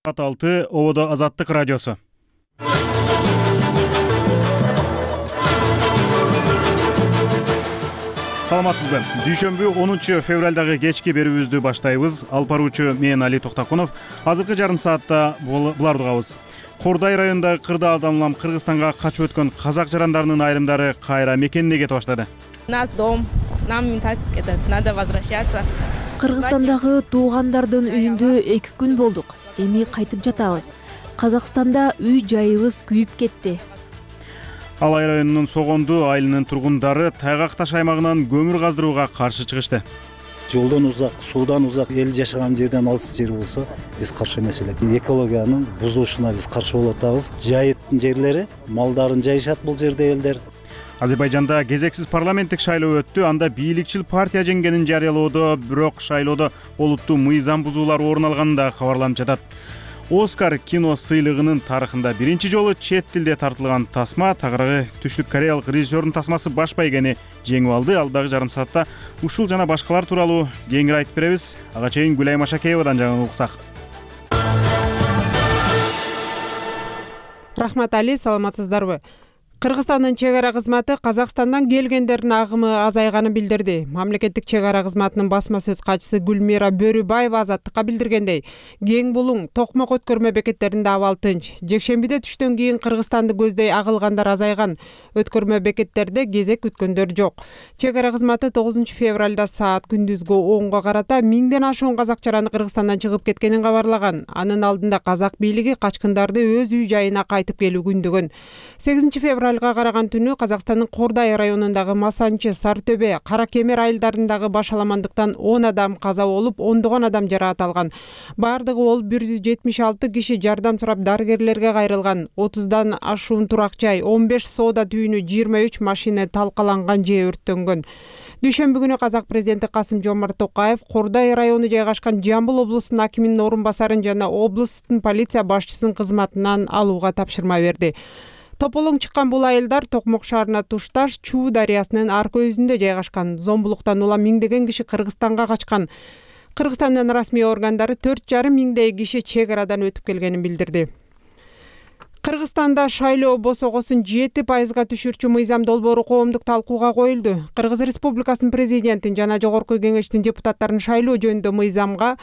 6 Ободо Азаттык радиосу. Саламатсызбы? Дүйшөмбү 10 февралдагы кечки берүүбүздү баштайбыз. Алып баруучу мен Али Токтакунов. Азыркы жарым саатта буларды угабыз. Кордай районундагы Кырдаалдан улам Кыргызстанга качып өткөн казак жарандарынын айрымдары кайра мекенине кетип баштады. Нас дом, нам так надо возвращаться. Кыргызстандагы туугандардын үйүндө 2 күн болдук. Эми кайтып жатабыз. Казакстанда үй жайыбыз күйүп кетти. Алай районунун Согонду айылынын тургундары Тайгак таш аймагынан көмүр каздырууга каршы чыгышты. Жолдон узак, суудан узак, эл жашаган жерден алыс жер болсо, биз каршы эмес элек. Экологиянын бузулушуна биз каршы болуп атабыз. Жайыттын жерлери, малдарын жайышат бул жерде элдер. Азербайжанда кезексиз парламенттик шайлоо өттү. Анда бийликчил партия жеңгенин жарыялоодо, бирок шайлоодо олуттуу мыйзам бузуулар орун алганын да кабарланып жатат. Оскар кино сыйлыгынын тарыхында биринчи жолу чет тилде тартылган тасма, тагыраагы түштүк кореялык режиссердун тасмасы Баш байгени жеңип алды. Алдагы жарым саатта ушул жана башкалар тууралуу кеңири айтып беребиз. Ага чейин Гүлай Машакеевадан жаңы уксак. Рахмат Али, саламатсыздарбы? Кыргызстандын чек ара кызматы Казакстандан келгендердин агымы азайганын билдирди. Мамлекеттик чек ара кызматынын басма сөз катчысы Гүлмира Бөрүбаева Азаттыкка билдиргендей, Кең Булуң, Токмок өткөрмө бекеттеринде абал тынч. Жекшембиде түштөн кийин Кыргызстанды көздөй агылгандар азайган. Өткөрмө бекеттерде кезек күткөндөр жок. Чек ара кызматы 9 февралда саат күндүзгү 10го карата 1000ден ашуун казак жараны Кыргызстандан чыгып кеткенин кабарлаган. Анын алдында казак бийлиги качкындарды өз үй жайына кайтып келүү күндүгүн. 8 февралга караган түнү Казакстандын Кордай районундагы Масанчы, Сартөбе, Каракемер айылдарындагы башаламандыктан 10 адам каза болуп, ондогон адам жараат алган. Бардыгы ол 176 киши жардам сурап дарыгерлерге кайрылган. 30дан ашуун турак жай, 15 соода түйүнү, 23 машина талкаланган же өрттөнгөн. Дүйшөмбү күнү казак президенти Касым-Жомарт Токаев Кордай району жайгашкан Жамбыл облусунун акиминин орун басарын жана облустун полиция башчысынын кызматынан алууга тапшырма берди. Тополоң чыккан бул айылдар Токмок шаарына тушташ Чуу дарыясынын аркы өзүндө жайгашкан. Зомбулуктан улам миңдеген киши Кыргызстанга качкан. Кыргызстандын расмий органдары 4,5 миңдей киши чек арадан өтүп келгенин билдирди. Кыргызстанда шайлоо босогосун 7%га түшүрчү мыйзам долбоору коомдук талкууга коюлду. Кыргыз Республикасынын президентин жана Жогорку Кеңештин депутаттарын шайлоо жөнүндө мыйзамга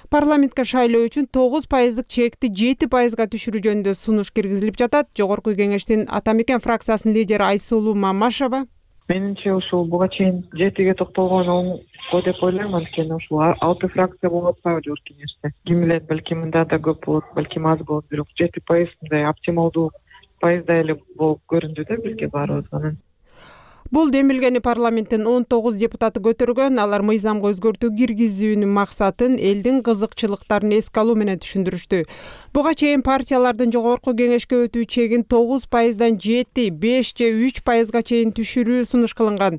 парламентке шайлоо үчүн 9%дык чекти 7%га түшүрүү жөнүндө сунуш киргизилип жатат. Жогорку Кеңештин Ата Мекен фракциясынын лидери Айсулуу Мамашева: Менимче ушул буга чейин 7ге токтолгон оңго деп ойлойм, анткени ушул 6 фракция болуп атпайбы Жогорку Кеңеште. Ким билет, балки мында да көп болот, балки аз болот, бирок 7% мындай оптималдуу пайызда эле болуп көрүндү да бизге баарыбызга. Бул демилгени парламенттин 19 депутаты көтөргөн. Алар мыйзамга өзгөртүү киргизүүнүн максатын элдин кызыкчылыктарын эске алуу менен түшүндүрүштү. Буга чейин партиялардын Жогорку Кеңешке өтүү чегин 9%дан 7, 5 же 3%га чейин түшүрүү сунуш кылынган.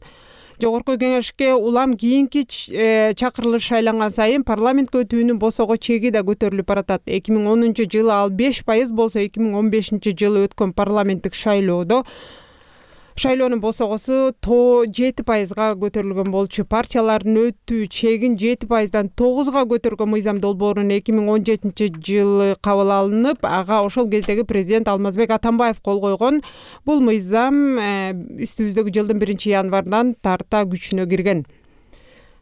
Жогорку Кеңешке улам кийинки чакырылыш шайланган сайын парламентке өтүүнүн босого чеги да көтөрүлүп баратат. 2010-жылы ал 5% болсо, 2015-жылы өткөн парламенттик шайлоонун босогосу 7%га көтөрүлгөн болчу. Партиялардын өтүү чегин 7%дан 9га көтөргөн мыйзам долбоорун 2017-жылы кабыл алынып, ага ошол кездеги президент Алмазбек Атамбаев кол койгон. Бул мыйзам үстүбүздөгү жылдын 1-январынан тарта күчүнө кирген.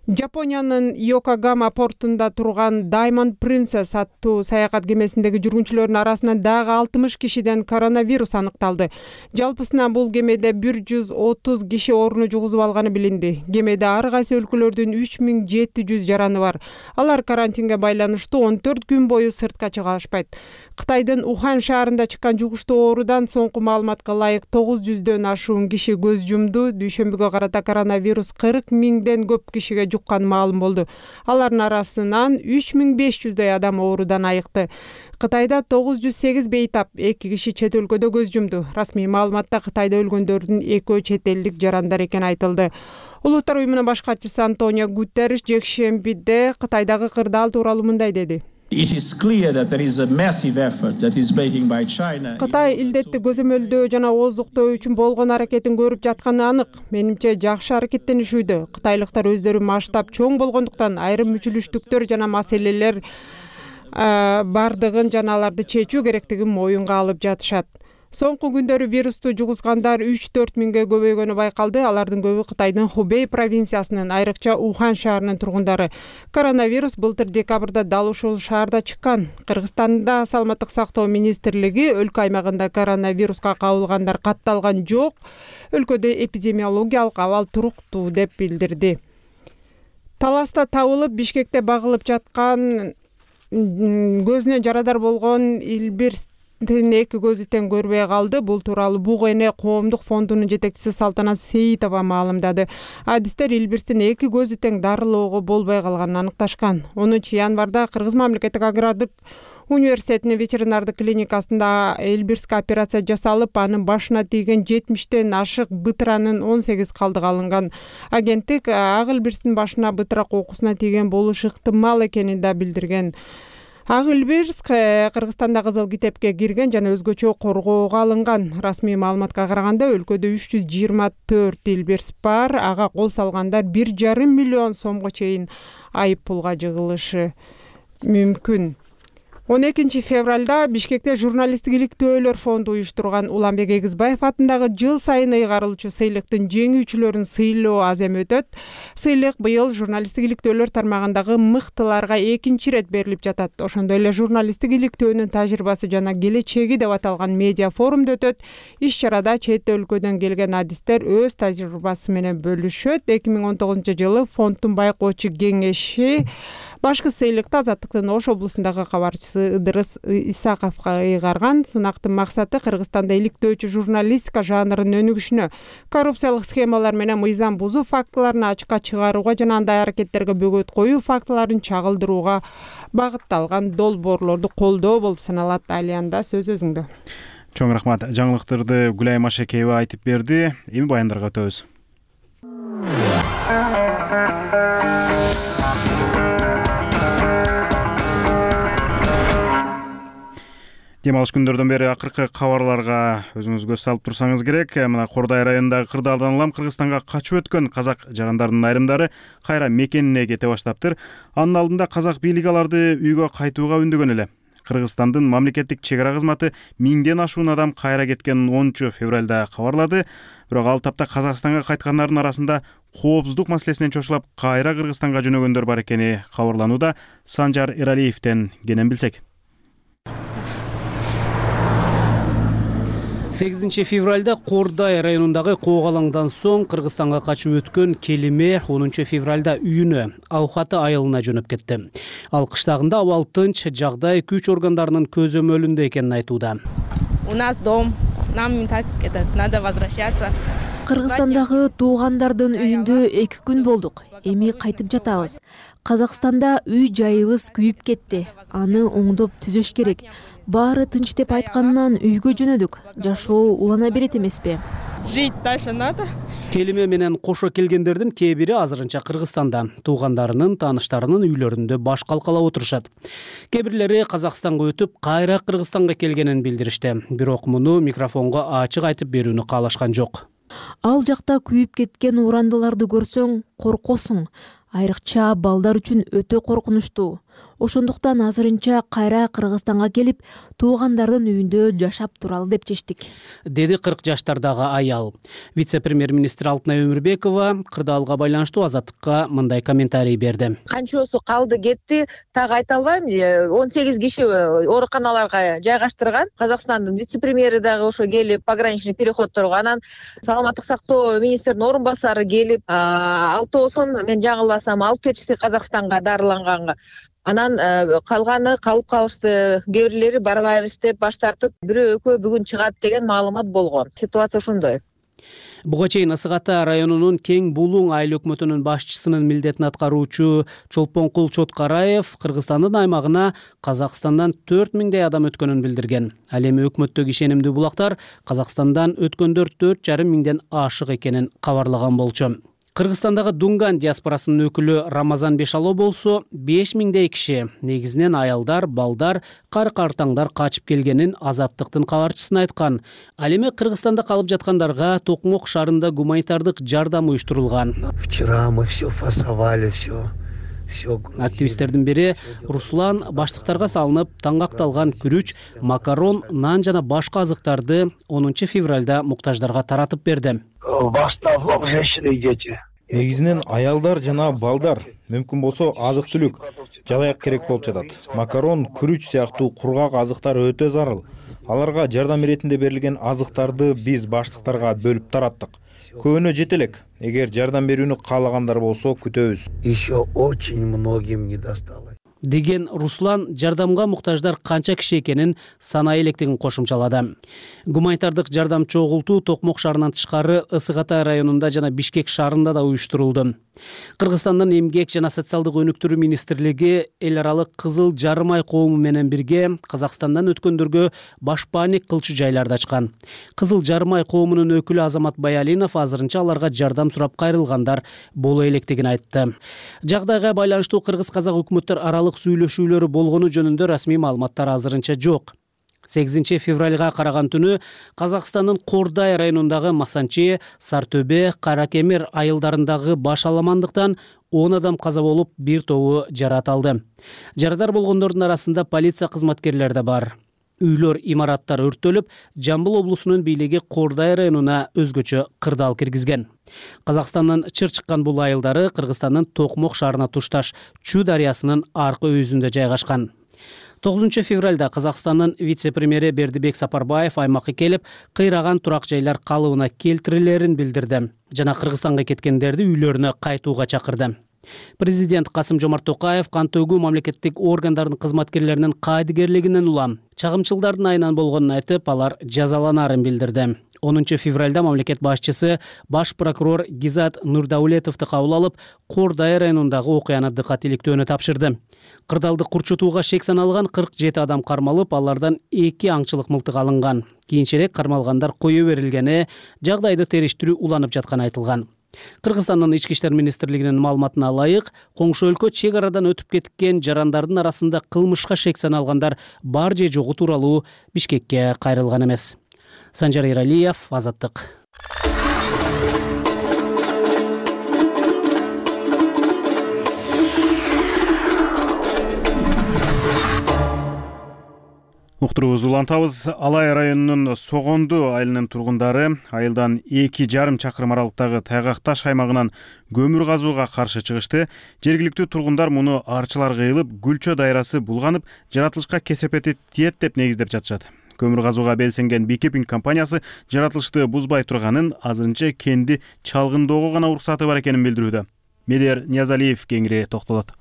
Жапониянын Йокогама портунда турган Diamond Princess аттуу саякат кемесиндеги жүргүнчүлөрдүн арасынан дагы 60 кишиден коронавирус аныкталды. Жалпысынан бул кемеде 130 киши ооруну жугузуп алганы билинди. Кемеде ар кайсы өлкөлөрдүн 3700 жараны бар. Алар карантинге байланыштуу 14 күн бою сыртка чыга алышпайт. Кытайдын Ухан шаарында чыккан жугуштуу оорудан соңку маалыматка ылайык 900дөн ашуун киши көз жумду. Дүйшөмбүгө карата коронавирус 40 миңден көп кишиге жуккан маалым болду. Алардын арасынан 3500дөй адам оорудан айыкты. Кытайда 908 бейтап, 2 киши чет өлкөдө көз жумду. Расмий маалыматта Кытайда өлгөндөрдүн 2 чет элдик жарандар экени айтылды. Улуттар уюмунун баш катчысы Антонио Гутерриш жекшембиде Кытайдагы кырдаал тууралуу мындай деди: Кытай илдетти көзөмөлдөө жана ооздуктоо үчүн болгон аракетин көрүп жатканы анык. Менимче жакшы аракеттенишүүдө. Кытайлыктар өздөрү масштаб чоң болгондуктан айрым мүчүлүштүктөр жана маселелер бардыгын жана аларды чечүү керектигин моюнга алып жатышат. Соңку күндөрү вирусту жугузгандар 3-4 миңге көбөйгөнү байкалды. Алардын көбү Кытайдын Хубей провинциясынын, айрыкча Ухан шаарынын тургундары. Коронавирус былтыр декабрда дал ушул шаарда чыккан. Кыргызстанда саламаттык сактоо министрлиги өлкө аймагында коронавируска кабылгандар катталган жок. Өлкөдө эпидемиологиялык абал туруктуу деп билдирди. Таласта табылып, Бишкекте багылып жаткан көзүнө жарадар болгон Илбирстин 2 көзү тең көрбөй калды. Бул тууралуу Буг эне коомдук фондунун жетекчиси Салтанат Сейитова маалымдады. Адистер Илбирстин 2 көзү тең дарылоого болбой калганын аныкташкан. 10 январда Кыргыз мамлекеттик агрардык университетинин ветеринардык клиникасында Элбирске операция жасалып, анын башына тийген 70тен ашык бытыранын 18 калдыгы алынган. Агенттик ак Элбирстин башына бытыра кокусуна тийген болушу ыктымал экенин да билдирген. Ак Элбирс Кыргызстанда кызыл китепке кирген жана өзгөчө коргоого алынган. Расмий маалыматка караганда өлкөдө 324 Элбирс бар. Ага кол салгандар 1,5 миллион сомго чейин айып пулга жыгылышы мүмкүн. 12 февралда Бишкекте журналисттик иликтөөлөр фонду уюштурган Уланбек Эгизбаев атындагы жыл сайын ыйгарылчу сыйлыктын жеңүүчүлөрүн сыйлоо азем өтөт. Сыйлык быйыл журналисттик иликтөөлөр тармагындагы мыктыларга 2-чи рет берилип жатат. Ошондой эле журналисттик иликтөөнүн тажрыйбасы жана келечеги деп аталган медиа форумда өтөт. Иш-чарада чет өлкөдөн келген адистер өз тажрыйбасы менен бөлүшөт. 2019-жылы фонддун байкоочу кеңеши башкы сыйлыкты Азаттыктын Ош облусундагы кабарчысы Ыдырыс Исаковго ыйгарган. Сынактын максаты Кыргызстанда иликтөөчү журналистика жанрынын өнүгүшүнө, коррупциялык схемалар менен мыйзам бузуу фактыларын ачыкка чыгарууга жана андай аракеттерге бөгөт коюу фактыларын чагылдырууга багытталган долбоорлорду колдоо болуп саналат. Алианда сөз өзүңдө. Чоң рахмат. Жаңылыктарды Гүлай Машекеева айтып берди. Эми баяндарга өтөбүз. Дем алыш күндөрдөн бери акыркы кабарларга өзүңүз көз салып турсаңыз керек. Мына Кордай районундагы Кырдаалдан улам Кыргызстанга качып өткөн казак жагандарынын айрымдары кайра мекенине кете баштаптыр. Анын алдында казак бийлиги аларды үйгө кайтууга үндөгөн эле. Кыргызстандын мамлекеттик чек ара кызматы 1000ден ашуун адам кайра кеткенин 10 февралда кабарлады. Бирок ал тапта Казакстанга кайткандардын арасында коопсуздук маселесинен чочулап кайра Кыргызстанга жөнөгөндөр бар экени кабарланууда. Санжар Эралиевден кенен билсек. 8 февралда Кордай районундагы Коогалаңдан соң Кыргызстанга качып өткөн Келиме 10 февралда үйүнө, Аухаты айылына жөнөп кетти. Ал кыштагында абал тынч, жагдай күч органдарынын көзөмөлүндө экенин айтууда. У нас дом, нам так надо возвращаться. Кыргызстандагы туугандардын үйүндө 2 күн болдук. Эми кайтып жатабыз. Казакстанда үй жайыбыз күйүп кетти. Аны оңдоп түзөш керек. Баары тынч деп айткандан үйгө жөнөдүк. Жашоо улана берет эмеспи? Жить дальше надо. Келиме менен кошо келгендердин кээ бири азырынча Кыргызстанда, туугандарынын, тааныштарынын үйлөрүндө баш калкалап отурушат. Кээ бирлери Казакстанга өтүп, кайра Кыргызстанга келгенин билдиришти. Бирок муну микрофонго ачык айтып берүүнү каалашкан жок. Ал жакта күйүп кеткен урандыларды көрсөң, коркосуң. Айрыкча балдар үчүн өтө коркунучтуу. Ошондуктан азырынча кайра Кыргызстанга келип, туугандардын үйүндө жашап туралы деп чечтик, деди 40 жаштардагы аял. Вице-премьер-министр Алтынай Өмүрбекова Кырдаалга байланыштуу Азаттыкка мындай комментарий берди. Канчосу калды кетти, так айта албайм. 18 киши ооруканаларга жайгаштырган. Казакстандын вице-премьери дагы ошо келип, пограничный переходторго, анан саламаттык сактоо министринин орун басары келип, алтоосун мен жаңылбасам алып кетишти Казакстанга дарыланганга. Анан калганы калып калышты. Кээ бирлери барбайбыз деп баш тартып, бирөө экөө бүгүн чыгат деген маалымат болгон. Ситуация ошондой. Буга чейин Ысык Ата районунун Кең Булуң айыл өкмөтүнүн башчысынын милдетин аткаруучу Чолпонкул Чоткараев Кыргызстандын аймагына Казакстандан 4000дей адам өткөнүн билдирген. Ал эми өкмөттөгү ишенимдүү булактар Казакстандан өткөндөр 4,5 миңден ашык экенин кабарлаган болчу. Кыргызстандагы Дунган диаспорасынын өкүлү Рамазан Бешало болсо 5000дей киши, негизинен аялдар, балдар, кар-картаңдар качып келгенин Азаттыктын кабарчысына айткан. Ал эми Кыргызстанда калып жаткандарга Токмок шаарында гуманитардык жардам уюштурулган. Вчера мы все фасовали, все Активисттердин бири Руслан баштыктарга салынып таңгакталган күрүч, макарон, нан жана башка азыктарды 10 февралда муктаждарга таратып берди. Негизинен аялдар жана балдар, мүмкүн болсо азык-түлүк, жалаяк керек болуп жатат. Макарон, күрүч сыяктуу кургак азыктар өтө зарыл. Аларга жардам иретинде берилген азыктарды биз баштыктарга бөлүп тараттык. Көбүнө жете элек. Эгер жардам берүүнү каалагандар болсо күтөбүз. Еще очень многим не досталось. Деген Руслан жардамга муктаждар канча киши экенин санай электигин кошумчалады. Гуманитардык жардам чогултуу Токмок шаарынан тышкары Ысык Атай районунда жана Бишкек шаарында да уюштурулду. Кыргызстандын Эмгек жана социалдык өнүктүрүү министрлиги эл аралык Кызыл Жарым ай коому менен бирге Казакстандан өткөндөргө башпаанник кылчу жайларды ачкан. Кызыл Жарым ай коомунун өкүлү Азамат Баялинов азырынча аларга жардам сурап кайрылгандар боло электигин айтты. Жагдайга байланыштуу кыргыз-казак өкмөттөр аралык сүйлөшүүлөрү болгону жөнүндө расмий маалыматтар азырынча жок. 8 февралга караган түнү Казакстандын Кордай районундагы Масанчи, Сартөбе, Каракемер айылдарындагы баш аламандыктан 10 адам каза болуп, бир тобу жарат алды. Жарадар болгондордун арасында полиция кызматкерлери да бар. Үйлөр, имараттар өрттөлүп, Жамбыл облусунун бийлиги Кордай районуна өзгөчө кырдаал киргизген. Казакстандын чыр чыккан бул айылдары Кыргызстандын Токмок шаарына тушташ Чу дарыясынын аркы өзүндө жайгашкан. 9 февралда Казакстандын вице-премьери Бердибек Сапарбаев аймакка келип, кыйраган турак жайлар калыбына келтирилерин билдирди жана Кыргызстанга кеткендерди үйлөрүнө кайтууга чакырды. Президент Касым-Жомарт Токаев кантөгүү мамлекеттик органдардын кызматкерлеринин кайдыгерлигинен улам чагымчылдардын айынан болгонун айтып, алар жазаланарын билдирди. 10 февралда мамлекет башчысы баш прокурор Гизат Нурдаулетовду кабыл алып, Кордай районундагы окуяны дыкат иликтөөнү тапшырды. Кырдаалды курчутууга шек саналган 47 адам кармалып, алардан 2 аңчылык мылтык алынган. Кийинчерээк кармалгандар кое берилгени, жагдайды териштирүү уланып жатканы айтылган. Кыргызстандын Ички иштер министрлигинин маалыматына ылайык, коңшу өлкө чек арадан өтүп кеткен жарандардын арасында кылмышка шек саналгандар бар же жогу тууралуу Бишкекке кайрылган эмес. Санжар Иралиев, Азаттык. Уктуруубузду улантабыз. Алай районунун Согонду айылынын тургундары айылдан 2,5 чакырым аралыктагы Тайгакташ аймагынан көмүр казууга каршы чыгышты. Жергиликтүү тургундар муну арчылар кыйылып, Гүлчө дайрасы булганып, жаратылышка кесепети тиет деп негиздеп жатышат. Көмүр казууга белсенген Бикипинг компаниясы жаратылышты бузбай турганын, азырынча кенди чалгындоого гана уруксаты бар экенин билдирүүдө. Медер Ниязалиев кеңири токтолот.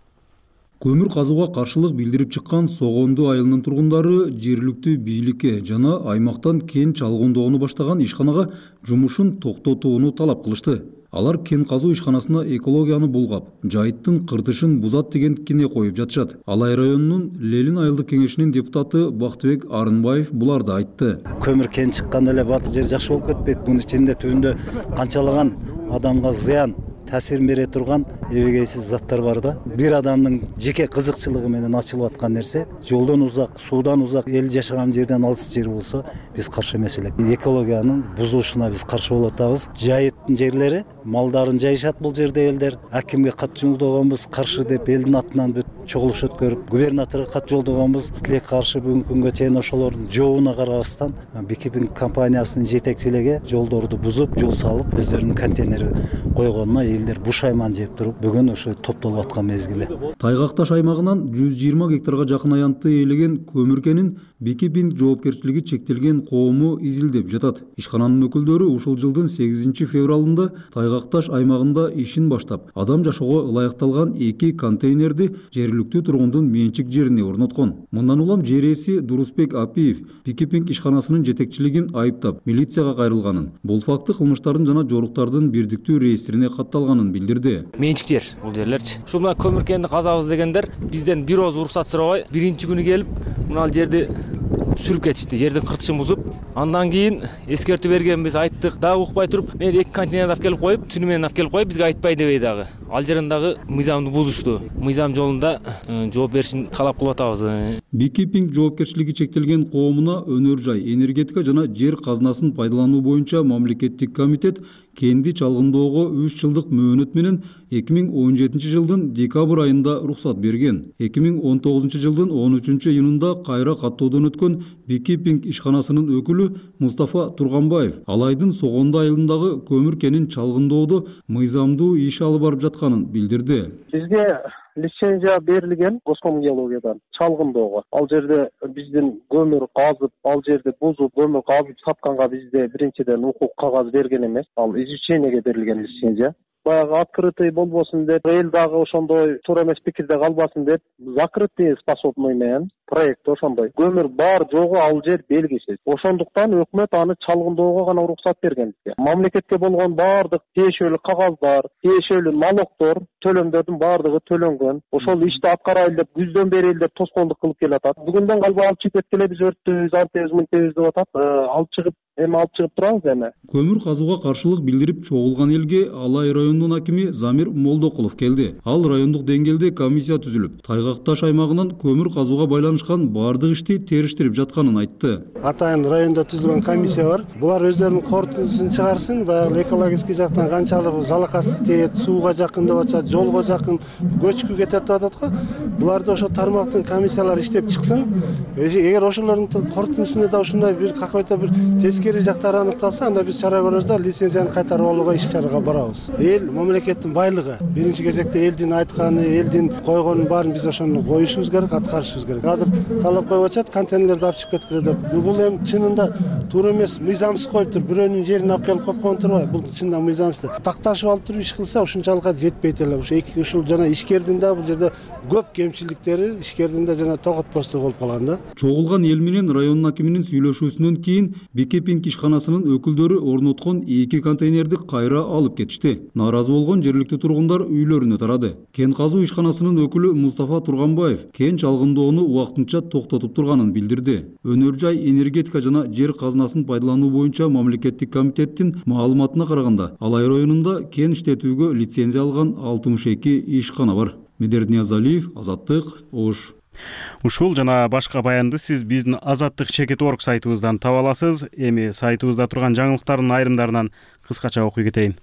Көмүр казууга каршылык билдирип чыккан Согонду айылынын тургундары жергиликтүү бийликке жана аймактан кен чалгындоону баштаган ишканага жумушун токтотууну талап кылышты. Алар кен казуу ишканасына экологияны булгап, жайыттын кыртышын бузат деген кине коюп жатышат. Алай районунун Лелин айылдык кеңешинин депутаты Бактыбек Арынбаев буларды айтты. Көмүр кен чыкканда эле баардык жер жакшы болуп кетпейт. Мунун ичинде түбүндө канчалаган адамга зыян таасирин бере турган эбегейсиз заттар бар да. Бир адамдын жеке кызыкчылыгы менен ачылып аткан нерсе, жолдон узак, суудан узак, эл жашаган жерден алыс жер болсо, биз каршы эмес элек. Экологиянын бузулушуна биз каршы болуп атабыз. Жайыттын жерлери, малдарын жайышат бул жерде элдер. Акимге кат жолдогонбуз, каршы деп элдин атынан чогулуш өткөрүп, губернаторго кат жолдогонбуз. Тилек каршы бүгүнкү күнгө чейин ошолордун жообуна карабастан Бикипинг компаниясынын жетекчилиги жолдорду бузуп, жол салып, өздөрүнүн контейнери койгонуна элдер буш айман жеп туруп, бүгүн ошо топтолуп аткан мезгили. Тайгакташ аймагынан 120 гектарга жакын аянтты ээлеген көмүр кенин Бикипинг жоопкерчилиги чектелген коому изилдеп жатат. Ишкананын өкүлдөрү ушул жылдын 8 февралында Тайгакташ аймагында ишин баштап, адам жашоого ылайыкталган 2 контейнерди жергиликтүү тургундун менчик жерине орноткон. Мындан улам жер ээси Дурусбек Апиев Бикипинг ишканасынын жетекчилигин айыптап, милицияга кайрылганын, бул факты кылмыштардын жана жоруктардын бирдиктүү реестрине катталганын билдирди. Менчик жер бул жерлерчи. Ушул мына көмүр кенди казабыз дегендер бизден бир ооз уруксат сурабай, биринчи күнү келип, мына жерди сүрүп кетишти. Жердин кыртышын бузуп, Андан кийин эскертүү бергенбиз, айттык, дагы укпай туруп, мен 2 контейнер алып келип коюп, түнү менен алып келип коюп, бизге айтпай дебей дагы. Ал жерин дагы мыйзамды бузушту. Мыйзам жолунда жооп беришин талап кылып атабыз. Бикипинг жоопкерчилиги чектелген коомуна өнөр жай, энергетика жана жер казынасын пайдалануу боюнча мамлекеттик комитет кенди чалгындоого 3 жылдык мөөнөт менен 2017 жылдын декабрь айында уруксат берген. 2019 жылдын 13-июнунда кайра каттоодон өткөн Бикипинг ишканасынын өкүлү Мустафа Турганбаев ал айдын согондо айылындагы көмүр кенин чалгындоодо мыйзамдуу иш алып барып жатканын билдирди. Бизге лицензия берилген Госком геологиядан чалгындоого. Ал жерде биздин көмүр казып, ал жерде бузуп, көмүр казып сатканга бизде биринчиден укук кагаз берген эмес. Ал изучениеге берилген лицензия. Баягы открытый болбосун деп, эл дагы ошондой туура эмес пикирде калбасын деп, закрытый способный менен проект ошондой. Көмүр бар жогу ал жер белгисиз. Ошондуктан өкмөт аны чалгындоого гана уруксат берген бизге. Мамлекетке болгон баардык тиешелүү кагаздар, тиешелүү налогдор, төлөмдөрдүн баардыгы төлөнгөн. Ошол ишти аткарайлы деп күздөн бери элдер тоскоолдук кылып келатат. Бүгүндөн калбай алып чыгып кеткиле, биз өрттүбүз, антебиз, мынтебиз деп атат. Алып чыгып турабыз эми. Көмүр казууга каршылык билдирип чогулган элге Алай районунун акими Замир Молдокулов келди. Ал райондук деңгээлде комиссия түзүлүп, Тайгак таш аймагынан көмүр казууга байланышкан бардык ишти териштирип жатканын айтты. Атайын районда түзүлгөн комиссия бар. Булар өздөрүнүн корутундусун чыгарсын, баягы экологический жактан канчалык жалакасы тиет, сууга жакын деп атышат, жолго жакын, көчкү кетет деп атат го. Буларды ошо тармактын комиссиялары иштеп чыксын. Эгер ошолордун корутундусунда да ушундай бир какой-то бир тескери жактары аныкталса, анда биз чара көрөбүз да лицензияны кайтарып алууга иш-чарага барабыз. Эл мамлекеттин байлыгы. Биринчи кезекте элдин айтканы, элдин койгонун баарын биз ошону коюшубуз керек, аткарышыбыз керек. Азыр талап коюп атышат, контейнерлерди алып чыгып кеткиле деп. Бул эми чынында туура эмес, мыйзамсыз коюптур. Бирөөнүн жерин алып келип койгон турбайбы? Бул чынында мыйзамсыз. Такташып алып туруп иш кылса, ушунчалыкка жетпейт эле. Ушул жана ишкердин да бул жерде көп кемчиликтери, ишкердин да жана тоготпостугу болуп калган да. Чогулган эл менен районун акиминин сүйлөшүүсүнөн кийин Бикипинг ишканасынын өкүлдөрү орноткон 2 контейнерди кайра алып кетишти. Нааразы болгон жергиликтүү тургундар үйлөрүнө тарады. Кен казуу ишканасынын өкүлү Мустафа Турганбаев кен чалгындоону убактынча токтотуп турганын билдирди. Өнөр жай, энергетика жана жер казынасын пайдалануу боюнча мамлекеттик комитеттин маалыматына караганда, Алай районунда кен иштетүүгө лицензия алган 62 ишкана бар. Медер Ниязалиев, Азаттык, Ош. Ушул жана башка баянды сиз биздин Azattik.org сайтыбыздан таба аласыз. Эми сайтыбызда турган жаңылыктардын айрымдарынан кыскача окуй кетейин.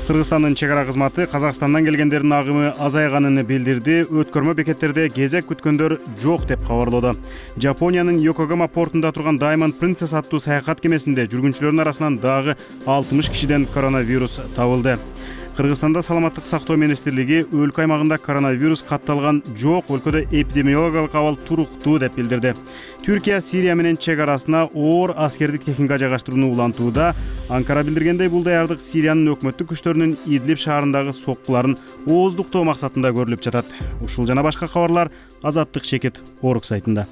Кыргызстандын чек ара кызматы Казакстандан келгендердин агымы азайганын билдирди. Өткөрмө бекеттерде кезек күткөндөр жок деп кабарлоодо. Жапониянын Йокогама портунда турган Diamond Princess аттуу саякат кемесинде жүргүнчүлөрдүн арасынан дагы 60 кишиден коронавирус табылды. Кыргызстанда саламаттык сактоо министрлиги өлкө аймагында коронавирус катталган жок, өлкөдө эпидемиологиялык абал туруктуу деп билдирди. Түркия Сирия менен чек арасына оор аскердик техника жайгаштырууну улантууда. Анкара билдиргендей, бул даярдык Сириянын өкмөттүк күчтөрүнүн Идлиб шаарындагы соккуларын ооздуктоо максатында көрүлүп жатат. Ушул жана башка кабарлар Azattik.org сайтында.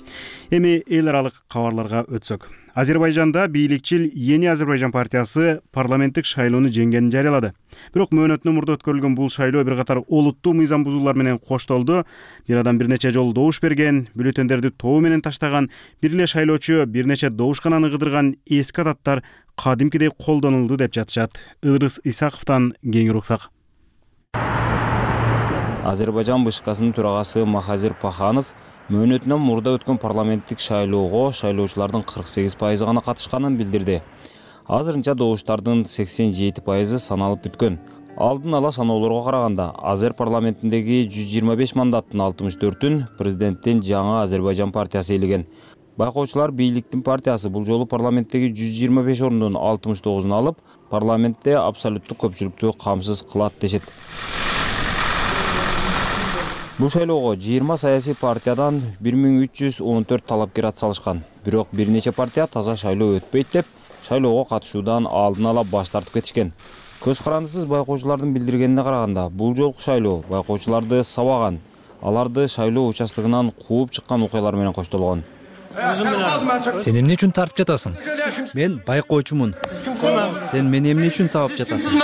Эми эл аралык кабарларга өтсөк. Азербайжанда бийликчил Yeni Азербайжан партиясы парламенттик шайлоону жеңгенин жарыялады. Бирок мөөнөтүнөн мурда өткөрүлгөн бул шайлоо бир катар олуттуу мыйзам бузуулар менен коштолду. Бир адам бир нече жолу добуш берген, бюллетендерди тобу менен таштаган, бир эле шайлоочу бир нече добушкананы кыдырган, эски адаттар кадимкидей колдонулду деп жатышат. Ыдырыс Исаковдон кеңири уксак. Азербайжан БШКсынын төрагасы Махазир Паханов мөөнөтүнөн мурда өткөн парламенттик шайлоого шайлоочулардын 48% гана катышканын билдирди. Азырынча добуштардын 87% саналып бүткөн. Алдын ала саноолорго караганда, Азер парламентиндеги 125 мандаттын 64-ün президенттин жаңы Азербайжан партиясы ээлеген. Байкоочулар бийликтин партиясы бул жолу парламенттеги 125 орундун 69-ун алып, парламентте абсолюттук көпчүлүктү камсыз кылат дешет. Бул шайлоого 20 саясий партиядан 1314 талапкер атсалышкан. Бирок бир нече партия таза шайлоо өтпөйт деп шайлоого катышуудан алдын ала баш тартып кетишкен. Көз карандысыз байкоочулардын билдиргенине караганда, бул жолку шайлоо байкоочуларды сабаган, аларды шайлоо участогунан кууп чыккан окуялар менен коштолгон. Сен эмне үчүн тартып жатасың? Мен байкоочумун. Сен мени эмне үчүн сабап жатасың?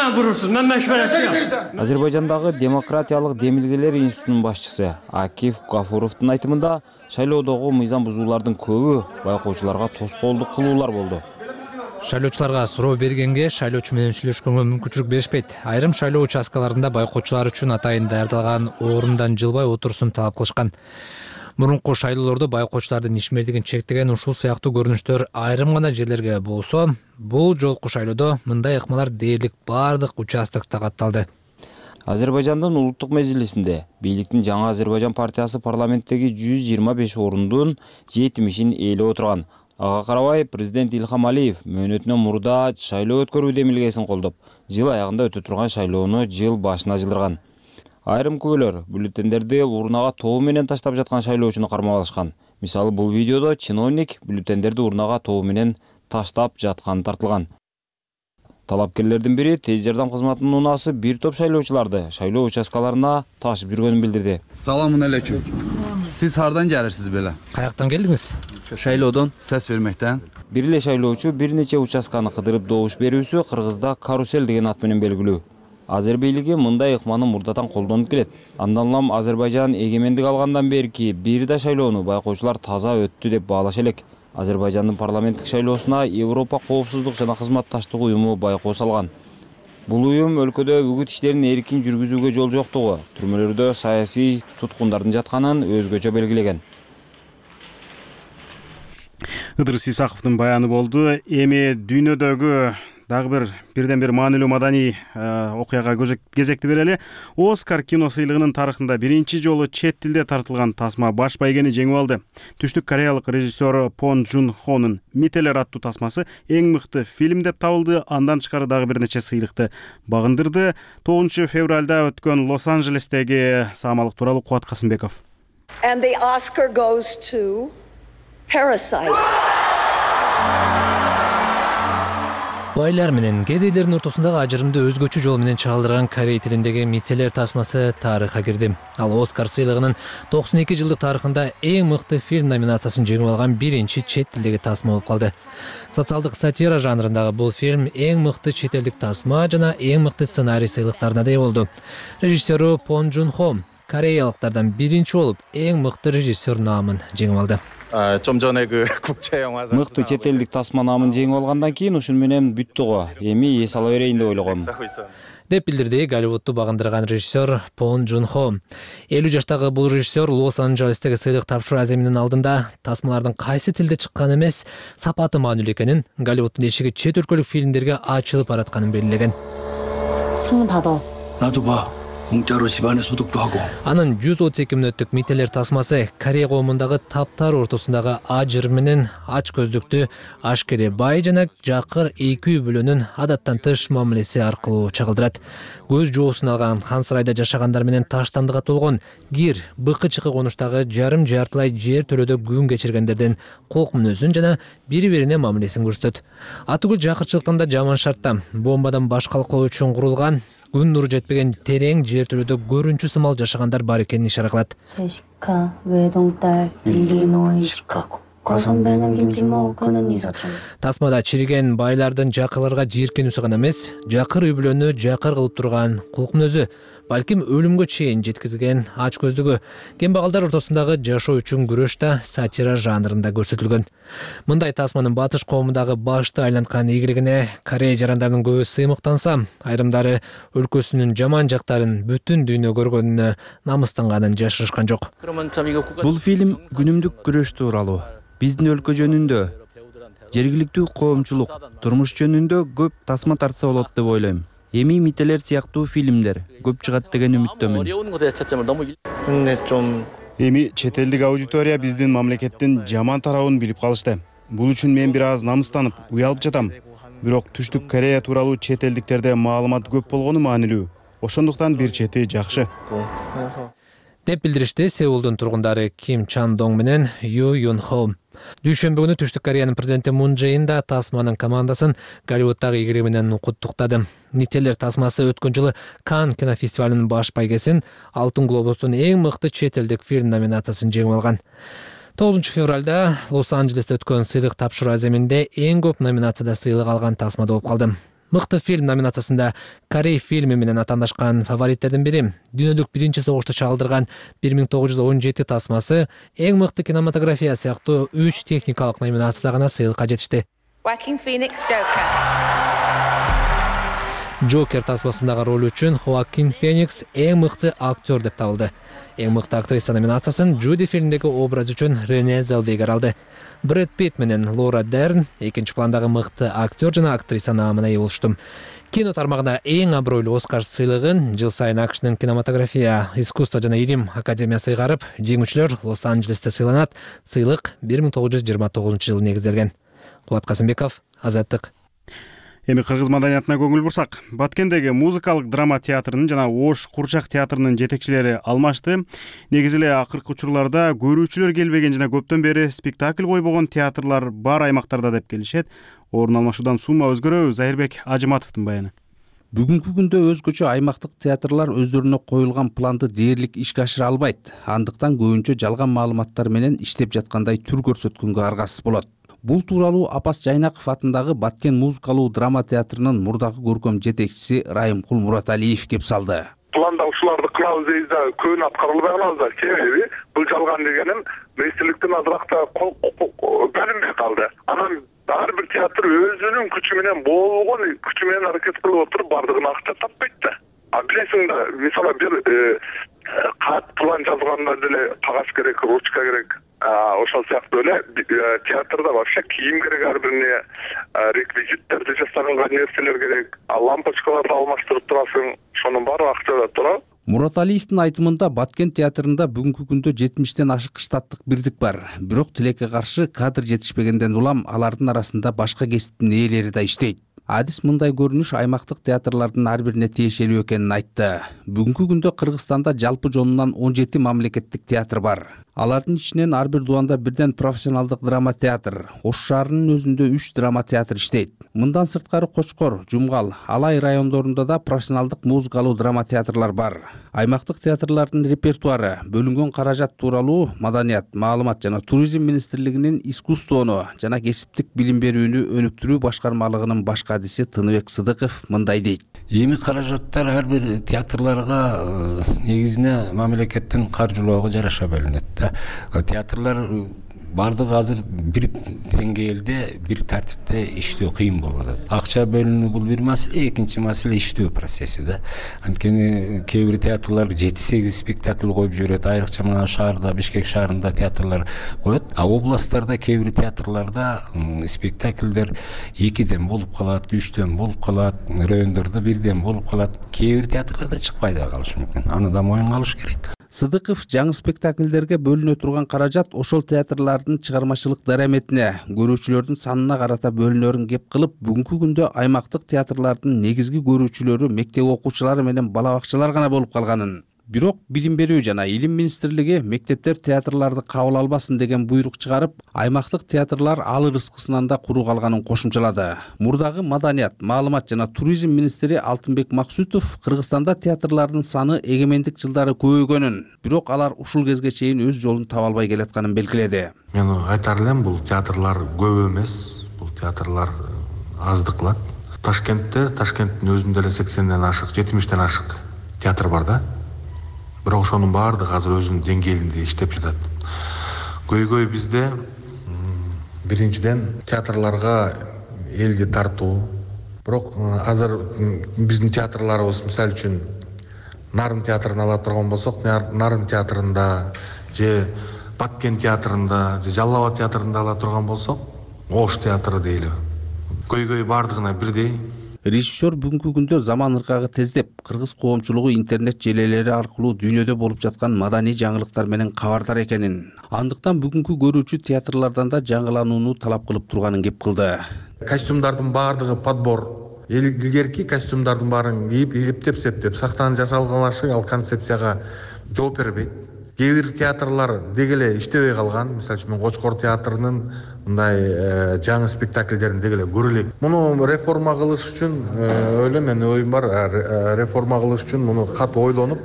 Азербайжандагы демократиялык демилгелер институтунун башчысы Акиф Гафуровдун айтымында шайлоодогу мыйзам бузуулардын көбү байкоочуларга тоскоолдук кылуулар болду. Шайлоочуларга суроо бергенге шайлоочу менен сүйлөшкөнгө мүмкүнчүлүк беришпейт. Айрым шайлоо участкаларында байкоочулар үчүн атайын даярдалган орундан жылбай отурушун талап кылышкан. Мурунку шайлоолордо байкоочулардын ишмердигин чектеген ушул сыяктуу көрүнүштөр айрым гана жерлерге болсо, бул жолку шайлоодо мындай ыкмалар дээрлик бардык участкта катталды. Азербайжандын улуттук межлисинде бийликтин жаңы Азербайжан партиясы парламенттеги 125 орундун 70-ин ээлеп отурган. Ага карабай президент Илхам Алиев мөөнөтүнөн мурда шайлоо өткөрүү демилгесин колдоп, жыл аягында өтө турган шайлоону жыл башына жылдырган. Айрым күбөлөр бюллетендерди урнага тобу менен таштап жаткан шайлоочуну кармап алышкан. Мисалы, бул видеодо чиновник бюллетендерди урнага тобу менен таштап жатканы тартылган. Талапкерлердин бири тез жардам кызматынын унаасы бир топ шайлоочуларды шайлоо участкаларына ташып жүргөнүн билдирди. Саламун алейкум. Сиз хардан келесиз беле? Каяктан келдиңиз? Шайлоодон сес бермектен. Бир эле шайлоочу бир нече участканы кыдырып добуш берүүсү Кыргызда карусель деген ат менен белгилүү. Азер бийлиги мындай ыкманы мурдатан колдонуп келет. Андан улам Азербайжан эгемендик алгандан берки бир да шайлоону байкоочулар таза өттү деп баалаша элек. Азербайжандын парламенттик шайлоосуна Европа коопсуздук жана кызматташтык уюму байкоо салган. Бул уюм өлкөдө үгүт иштерин эркин жүргүзүүгө жол жоктугу, түрмөлөрдө саясий туткундардын жатканын өзгөчө белгилеген. Ыдырыс Исаковдун баяны болду. Эми дүйнөдөгү дагы бирден бир маанилүү маданий окуяга кезекти берели. Оскар кино сыйлыгынын тарыхында биринчи жолу чет тилде тартылган тасма баш байгени жеңип алды. Түштүк кореялык режиссер Пон Жун Хонун «Мителер» аттуу тасмасы эң мыкты фильм деп табылды. Андан тышкары дагы бир нече сыйлыкты багындырды. 9 февралда өткөн Лос-Анджелестеги саамалык тууралуу Кубат Касымбеков. And the Oscar goes to Parasite. Байлар менен кедейлердин ортосундагы ажырымды өзгөчө жол менен чагылдырган корей тилиндеги «Мителер» тасмасы тарыхка кирди. Ал Оскар сыйлыгынын 92 жылдык тарыхында эң мыкты фильм номинациясын жеңип алган биринчи чет тилдеги тасма болуп калды. Социалдык сатира жанрындагы бул фильм эң мыкты чет элдик тасма жана эң мыкты сценарий сыйлыктарына ээ болду. Режиссеру Пон Жун Хо кореялыктардан биринчи болуп эң мыкты режиссер наамын жеңип алды. Мыкты чет элдик тасма наамын жеңип алгандан кийин ушун менен бүттү го. Эми эс ала берейин деп ойлогом. Деп билдирди Голливудду багындырган режиссер Пон Жун Хо. 50 жаштагы бул режиссер Лос-Анджелестеги сыйлык тапшыруу аземинин алдында тасмалардын кайсы тилде чыкканы эмес, сапаты маанилүү экенин, Голливуддун эшиги чет өлкөлүк фильмдерге ачылып баратканын белгилеген. 공짜로 집안의 소득도 하고. Анын 132 мүнөттүк «Мителер» тасмасы Корея коомундагы таптар ортосундагы ажыр менен ач көздүктү ашкере бай жана жакыр эки үй бүлөнүн адаттан тыш мамилеси аркылуу чагылдырат. Көз жоосун алган хан сарайда жашагандар менен таштандыга толгон кир, быкы-чыкы конуштагы жарым жартылай жер төлөдө күн кечиргендердин колк мүнөзүн жана бири-бирине мамилесин көрсөтөт. Атүгүл жакырчылыктан да жаман шартта бомбадан башкалыклоо үчүн курулган күн нуру жетпеген терең жер төлөдө көрүнчү сымал жашагандар бар экенин ишара кылат. Тасмада чириген байлардын жакырларга жийиркенүүсү гана эмес, жакыр үй бүлөнү жакыр кылып турган кулк мүнөзү, балким өлүмгө чейин жеткизген ач көздүгү, кембагалдар ортосундагы жашоо үчүн күрөш да сатира жанрында көрсөтүлгөн. Мындай тасманын батыш коомундагы башты айланткан ийгилигине Корея жарандарынын көбү сыймыктанса, айрымдары өлкөсүнүн жаман жактарын бүтүн дүйнө көргөнүнө намыстанганын жашырышкан жок. Бул фильм күнүмдүк күрөш тууралуу. Биздин өлкө жөнүндө, жергиликтүү коомчулук, турмуш жөнүндө көп тасма тартса болот деп ойлойм. Эми «Мителер» сыяктуу фильмдер көп чыгат деген үмүттөмүн. Эми чет элдик аудитория биздин мамлекеттин жаман тарабын билип калышты. Бул үчүн мен бир аз намыстанып, уялып жатам. Бирок Түштүк Корея тууралуу чет элдиктерде маалымат көп болгону маанилүү. Ошондуктан бир чети жакшы. Деп билдиришти Сеулдун тургундары Ким Чан Донг менен Ю Юн Хо. Дүйшөмбү күнү Түштүк Кореянын президенти Мун Чжэ Ин да тасманын командасын Голливуддагы ийгилиги менен куттуктады. «Мителер» тасмасы өткөн жылы Канн кинофестивалынын баш байгесин, Алтын глобустун эң мыкты чет элдик фильм номинациясын жеңип алган. 9 февралда Лос-Анджелесте өткөн сыйлык тапшыруу аземинде эң көп номинацияда сыйлык алган тасма болуп калды. Мыкты фильм номинациясында Корей фильми менен атаандашкан фавориттердин бири дүйнөлүк биринчи согушту чагылдырган 1917 тасмасы, эң мыкты кинематография сыяктуу 3 техникалык номинацияда гана сыйлыкка жетишти. Джокер тасмасындагы роль үчүн Хоакин Феникс эң мыкты актер деп табылды. Эң мыкты актриса номинациясын Джуди фильмдеги образ үчүн Рене Зелвегер алды. Брэд Питт менен Лора Дерн экинчи пландагы мыкты актер жана актриса наамына ээ болушту. Кино тармагында эң абройлуу Оскар сыйлыгын жыл сайын АКШнын кинематография, искусство жана илим академиясы ыйгарып, жеңүүчүлөр Лос-Анджелесте сыйланат. Сыйлык 1929-жылы негизделген. Кубат Касымбеков, Азаттык. Эми кыргыз маданиятына көңүл бурсак, Баткендеги музыкалык драма театрынын жана Ош курчак театрынын жетекчилери алмашты. Негизи эле акыркы учурларда көрүүчүлөр келбеген жана көптөн бери спектакль койбогон театрлар бар аймактарда деп келишет. Орун алмашуудан сумма өзгөрөбү? Зайырбек Ажыматовдун баяны. Бүгүнкү күндө өзгөчө аймактык театрлар өздөрүнө коюлган планды дээрлик ишке ашыра албайт. Андыктан көбүнчө жалган маалыматтар менен иштеп жаткандай түр көрсөткөнгө аргасыз болот. Бул тууралуу Апас Жайнаков атындагы Баткен музыкалуу драма театрынын мурдагы көркөм жетекчиси Райымкул Мураталиев кеп салды. Планда ушуларды кылабыз дейбиз да, көбүн аткарылбай калабыз да. Себеби бул жалган дегеним министрликтин азыракта бөлүнбөй калды. Анан ар бир театр өзүнүн күчү менен болгон күчү менен аракет кылып отуруп бардыгына акча таппайт да. Билесиң да, мисалы бир кат план жазганда деле кагаз керек, ручка керек. Ошол сыяктуу эле театрда вообще кийим керек, ар бирине реквизиттерди жасалган нерселер керек, лампочкаларды алмаштырып турасың, ошонун баары акчада турат. Мураталиевдин айтымында Баткен театрында бүгүнкү күндө 70тен ашык штаттык бирдик бар. Бирок тилекке каршы кадр жетишпегенден улам алардын арасында башка кесиптин ээлери да иштейт. Адис мындай көрүнүш аймактык театрлардын ар бирине тиешелүү экенин айтты. Бүгүнкү күндө Кыргызстанда жалпы жонунан 17 мамлекеттик театр бар. Алардын ичинен ар бир дубанда бирден профессионалдык драма театр, Ош шаарынын өзүндө 3 драма театр иштейт. Мындан сырткары Кочкор, Жумгал, Алай райондорунда да профессионалдык музыкалуу драма театрлар бар. Аймактык театрлардын репертуары, бөлүнгөн каражат тууралуу Маданият, маалымат жана туризм министрлигинин искусствону жана кесиптик билим берүүнү өнүктүрүү башкармалыгынын башка адиси Тыныбек Сыдыков мындай дейт. Эми каражаттар ар бир театрларга негизине мамлекеттин каржылоого жараша бөлүнөт да. Театрлар бардыгы азыр бир деңгээлде, бир тартипте иштөө кыйын болуп атат. Акча бөлүнүү бул бир маселе, экинчи маселе иштөө процесси да. Анткени кээ бир театрлар 7-8 спектакль коюп жүрөт, айрыкча мына шаарда, Бишкек шаарында театрлар коет. А областтарда кээ бир театрларда спектакльдер 2ден болуп калат, 3ден болуп калат, райондордо 1ден болуп калат. Кээ бир театрларда чыкпай да калышы мүмкүн. Аны да моюнга алыш керек. Сыдыков жаңы спектакльдерге бөлүнө турган каражат ошол театрлардын чыгармачылык дараметине, көрүүчүлөрдүн санына карата бөлүнөрүн кеп кылып, бүгүнкү күндө аймактык театрлардын негизги көрүүчүлөрү мектеп окуучулары менен бала бакчалар гана болуп калганын. Бирок Билим берүү жана Илим министрлиги мектептер театрларды кабыл албасын деген буйрук чыгарып, аймактык театрлар ал ырыскысынан да куру калганын кошумчалады. Мурдагы Маданият, маалымат жана туризм министри Алтынбек Максутов Кыргызстанда театрлардын саны эгемендик жылдары көбөйгөнүн, бирок алар ушул кезге чейин өз жолун таба албай келатканын белгиледи. Мен айтар элем, бул театрлар көп эмес, бул театрлар аздык кылат. Ташкенттин өзүндө эле 80ден ашык, 70ден ашык театр бар да. Бирок ошонун баардыгы азыр өзүнүн деңгээлинде иштеп жатат. Көйгөй бизде биринчиден театрларга элди тартуу. Бирок азыр биздин театрларыбыз, мисалы үчүн, Нарын театрын ала турган болсок, Нарын театрында же Баткен театрында же Жалал Абад театрында ала турган болсок, Ош театры дейли. Көйгөй баардыгына бирдей. Режиссер бүгүнкү күндө заман ыргагы тездеп, кыргыз коомчулугу интернет желелери аркылуу дүйнөдө болуп жаткан маданий жаңылыктар менен кабардар экенин, андыктан бүгүнкү көрүүчү театрлардан да жаңыланууну талап кылып турганын кеп кылды. Костюмдардын баардыгы подбор. Илгерки костюмдардын баарын кийип, эптеп-септеп сактан жасалган ал концепцияга жооп бербейт. Кээ бир театрлар деги эле иштебей калган. Мисалы үчүн мен Кочкор театрынын мындай жаңы спектакльдерин деги эле көрө элек. Муну реформа кылыш үчүн ойлойм, менин оюм бар, реформа кылыш үчүн муну катуу ойлонуп,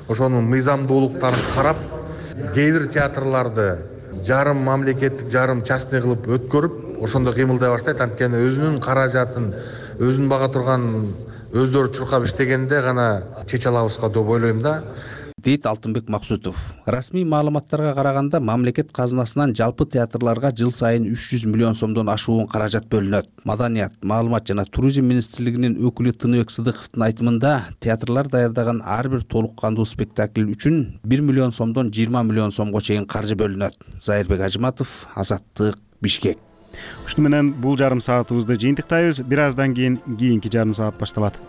ошонун мыйзамдуулуктарын карап, кээ бир театрларды жарым мамлекеттик жарым частный кылып өткөрүп ошондо кыймылдай баштайт. Анткени өзүнүн каражатын өзүн бага турган өздөрү чуркап иштегенде гана чече алабызга деп ойлойм да, дейт Алтынбек Максутов. Расмий маалыматтарга караганда мамлекет казынасынан жалпы театрларга жыл сайын 300 миллион сомдон ашуун каражат бөлүнөт. Маданият, маалымат жана туризм министрлигинин өкүлү Тыныбек Сыдыковдун айтымында театрлар даярдаган ар бир толук кандуу спектакль үчүн 1 миллион сомдон 20 миллион сомго чейин каржы бөлүнөт. Зайырбек Ажыматов, Азаттык, Бишкек. Ушуну менен бул жарым саатыбызды жыйынтыктайбыз. Бир аздан кийин кийинки жарым саат башталат.